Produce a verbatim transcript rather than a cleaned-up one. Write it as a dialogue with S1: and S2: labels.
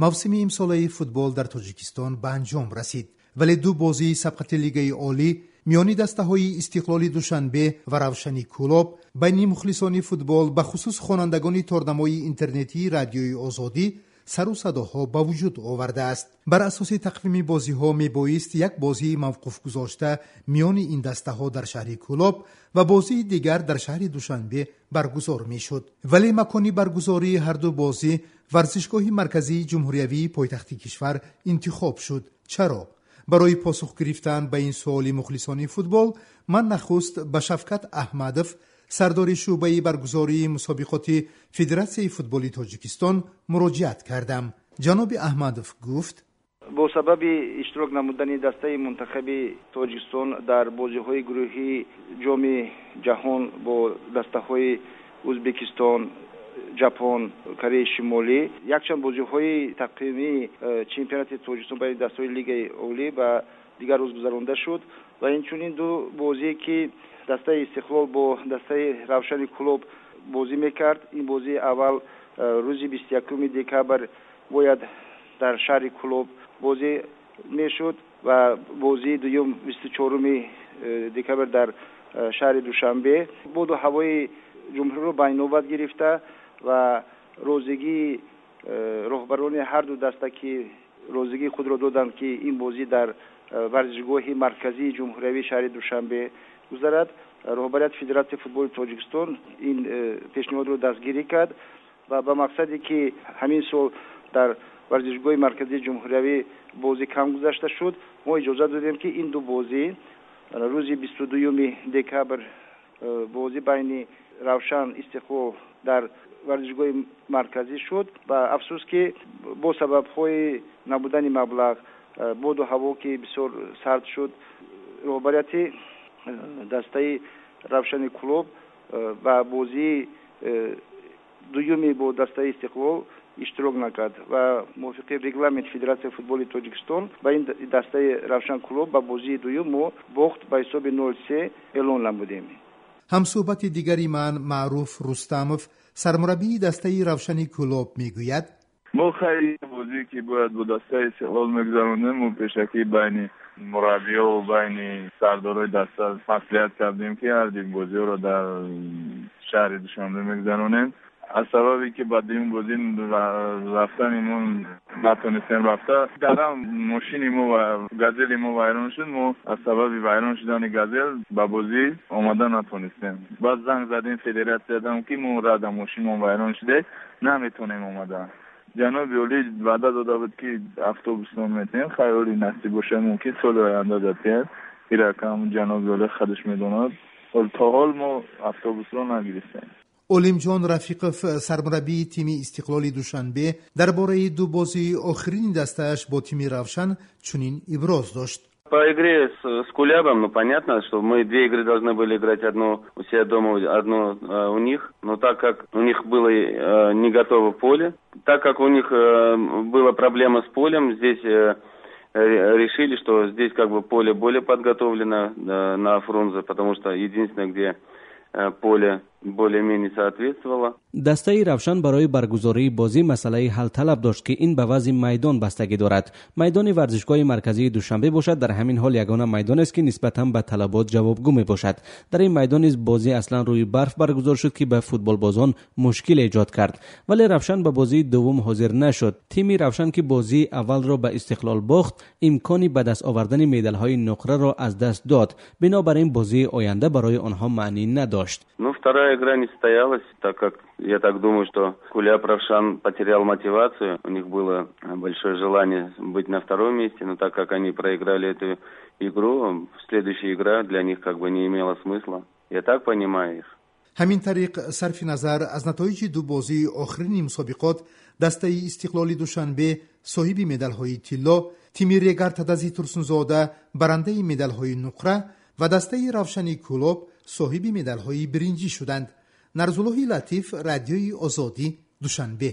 S1: Мавсими имсолаи футбол дар Тоҷикистон ба анҷом расид, вале ду бозии сабқати Лигаи Олӣ миёни дастаҳои Истиқлоли Душанбе ва Равшани Кӯлоб байни мухлисони футбол, бахусус хонандагони торнамои интернетии Радиои Озодӣ, сару садоҳо ба вуҷуд овардааст. Бар асоси тақвими бозиҳо мебоист як бозии мавқуфгузошта миёни ин дастаҳо дар шаҳри Кӯлоб ва бозии дигар дар шаҳри Душанбе баргузор мешуд, вале макони баргузории ҳарду бозӣ варзишгоҳи марказии ҷумҳуриявии пойтахти кишвар интихоб шуд. Чаро? Барои посух гирифтан ба ин суоли мухлисони футбол ман нахуст ба Шавкат Аҳмадов, сардори шӯъбаи баргузории мусобиқоти Федератсияи футболи Тоҷикистон, муроҷиат кардам. Ҷаноби Аҳмадов гуфт:
S2: Бо сабаби иштирок намудани дастаи мунтахаби Тоҷикистон дар бозиҳои гурӯҳии Ҷоми Ҷаҳон бо дастаҳои Ӯзбекистон, Ҷапон, Кореяи Шимолӣ, якчанд бозиҳои тақвимии э, чемпионати Тоҷикистон байни дастаҳои Лигаи Олӣ ба дигар рӯз гузаронда шуд ва инчунин ду бозие, ки дастаи Истиқлол бо дастаи Равшани Кӯлоб бозӣ мекард. Ин бозии аввал э, рӯзи бисту якуми декабр бояд дар шаҳри Кӯлоб бозӣ мешуд ва бозии дуюм бисту чоруми э, декабр дар э, шаҳри Душанбе. Боду ҳавои ҷумҳуриро ба инобат гирифта ва розигии роҳбарони ҳарду даста, ки розигии худро доданд, ки ин бозӣ дар варзишгоҳи марказии ҷумҳуриявии шаҳри Душанбе гузарад, роҳбарияти Федератсияи футболи Тоҷикистон ин э, пешниҳодро дастгирӣ кард ва ба мақсаде, ки ҳамин сол дар варзишгоҳи марказии ҷумҳуриявӣ бозӣ кам гузашта шуд, мо иҷозат додем, ки ин ду бозӣ рӯзи бисту дуюми декабр э, бозӣ байни Равшан, Истиқлол дар варзишгоҳи марказӣ шуд. Ва афсӯс, ки бо сабабҳои набудани маблағ, э, боду ҳаво, ки бисёр сард шуд, роҳбарияти дастаи Равшани Кӯлоб э, ба бозии э, дуюми бо дастаи Истиқлол иштирок накард ва мувофиқи регламент Федератсияи футболи Тоҷикистон ба ин дастаи Равшан Кӯлоб ба бозии дуюм мо бохт ба ҳисоби нол се эълон намудем.
S1: Ҳамсӯҳбати дигари ман, Маъруф Рустамов, сармураббии дастаи Равшани Кӯлоб, мегӯяд:
S3: Мо хайри бозие, ки бояд бо дастаи Истиқлол мегузаронем, мо пешакӣ байни мураббиёву байни сардорои даста маслиҳат кардем, ки ҳарду бозиҳоро дар шаҳри Душанбе мегузаронем. Аз сабабе ки ба дуюм бозӣ рафтани мо натонистем рафта, дарам мошини мо ва Газели мо вайрон шуд. Мо аз сабаби вайрон шудани Газел ба бозӣ омада натонистем. Баъд занг задем федератсиядам, ки мо рада мошинмон вайрон шуде, наметонем омада. Ҷаноби олӣ ваъда дода буд, ки автобусно метиҳем. Хайр, оли насиб бошад, мумкин соли оянда датиҳем. Иракам ҷаноби олӣ худаш медонад. То ҳол мо автобусро нагирифтем.
S1: Олимҷон Рафиқов, сармураббии тими Истиқлоли Душанбе, дар бораи ду бозии охирини дастааш бо тими Равшан чунин иброз дошт:
S4: По игре с, с Кулябом, ну, понятно, что мы две игры должны были играть: одну у себя дома, одну э, у них. Но так как у них было э, не готово поле, так как у них э, была проблема с полем, здесь э, решили, что здесь как бы поле более подготовлено э, на Фрунзе, потому что единственное, где э, поле более-менее соответствовало.
S5: Дастаи Равшан барои баргузории бозӣ масъалаи ҳалталаб дошт, ки ин ба вазъи майдон бастагӣ дорад. Майдони варзишгоҳи марказии Душанбе бошад, дар ҳамин ҳол ягона майдонест, ки нисбатан ба талабот ҷавобгӯ мебошад. Дар ин майдон низ бозӣ аслан рӯи барф баргузор шуд, ки ба футболбозон мушкил эҷод кард, вале Равшан ба бозии дуввум ҳозир нашуд. Тими Равшан, ки бозии аввалро ба Истиқлол бохт, имкони ба даст овардани медалҳои нуқраро аз даст дод. Бинобар ин бозии оянда барои онҳо маънӣ надошт.
S4: Ну, вторая игра не состоялась, так как я так думаю, что Куляб Равшан потерял мотивацию. У них было большое желание быть на втором месте, но так как они проиграли эту игру, следующая игра для них как бы не имела смысла. Я так понимаю их.
S1: Ҳамин тариқ, сарфи назар аз натоиҷи ду бозии охирини мусобиқот, дастаи Истиқлоли Душанбе соҳиби медалҳои тилло, тими Регар-ТадАЗи Турсунзода барандаи медалҳои нуқра ва дастаи Равшани Кӯлоб соҳиби медалҳои биринҷӣ шуданд. Нарзуллоҳи Латиф, Радиои Озодӣ, Душанбе.